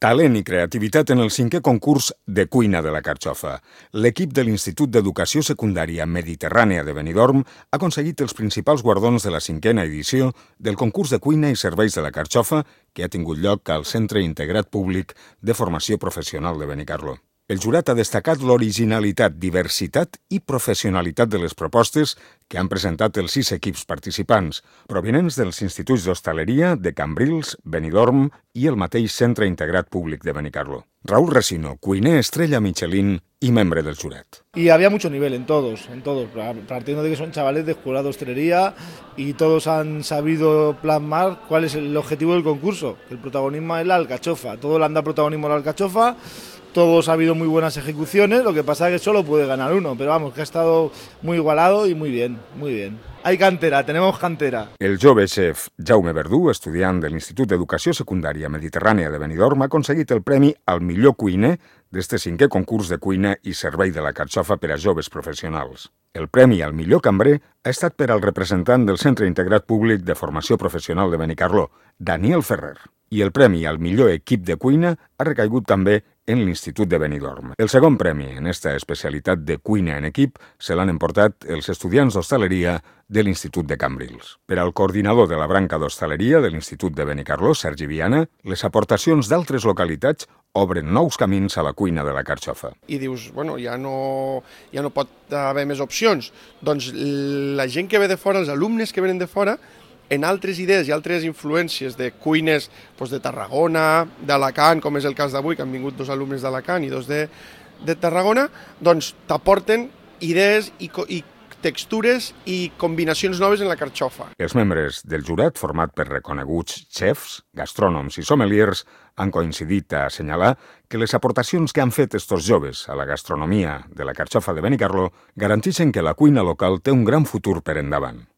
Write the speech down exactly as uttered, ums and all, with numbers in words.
Talent i creativitat en el cinquè concurs de cuina de la Carxofa. L'equip de l'Institut d'Educació Secundària Mediterrània de Benidorm ha aconseguit els principals guardons de la cinquena edició del concurs de cuina i serveis de la Carxofa que ha tingut lloc al Centre Integrat Públic de Formació Professional de Benicarló. El jurat ha destacat l'originalitat, diversitat i professionalitat de les propostes que han presentat els sis equips participants, provinents dels instituts d'hostaleria de Cambrils, Benidorm i el mateix Centre Integrat Públic de Benicarló. Raúl Resino, cuiner estrella Michelin y membre del jurat. Y había mucho nivel en todos, en todos, partiendo de que son chavales de escuela de hostelería y todos han sabido plasmar cuál es el objetivo del concurso, que el protagonismo es la alcachofa, todo le han dado protagonismo a la alcachofa. Todos ha habido muy buenas ejecuciones, lo que pasa es que solo puede ganar uno, pero vamos, que ha estado muy igualado y muy bien, muy bien. Hay cantera, tenemos cantera. El jove chef Jaume Verdú, estudiant de l'Institut d'Educació Secundària Mediterrània de Benidorm, ha aconseguit el premi al millor cuiner d'este cinquè concurs de cuina i servei de la Carxofa per a joves professionals. El premi al millor cambrer ha estat per al representant del Centre Integrat Públic de Formació Professional de Benicarló, Daniel Ferrer. I el premi al millor equip de cuina ha recaigut també en l'Institut de Benidorm. El segon premi en esta especialitat de cuina en equip se l'han emportat els estudiants d'hostaleria de l'Institut de Cambrils. Per al coordinador de la branca d'hostaleria de l'Institut de Benicarló, Sergi Viana, les aportacions d'altres localitats obren nous camins a la cuina de la Carxofa. I dius, bueno, ja no, ja no pot haver més opcions. Doncs la gent que ve de fora, els alumnes que venen de fora, en altres idees i altres influències de cuines doncs de Tarragona, d'Alacant, com és el cas d'avui, que han vingut dos alumnes d'Alacant i dos de, de Tarragona, doncs t'aporten idees i, i textures i combinacions noves en la carxofa. Els membres del jurat, format per reconeguts xefs, gastrònoms i sommeliers, han coincidit a assenyalar que les aportacions que han fet estos joves a la gastronomia de la Carxofa de Benicarló garanteixen que la cuina local té un gran futur per endavant.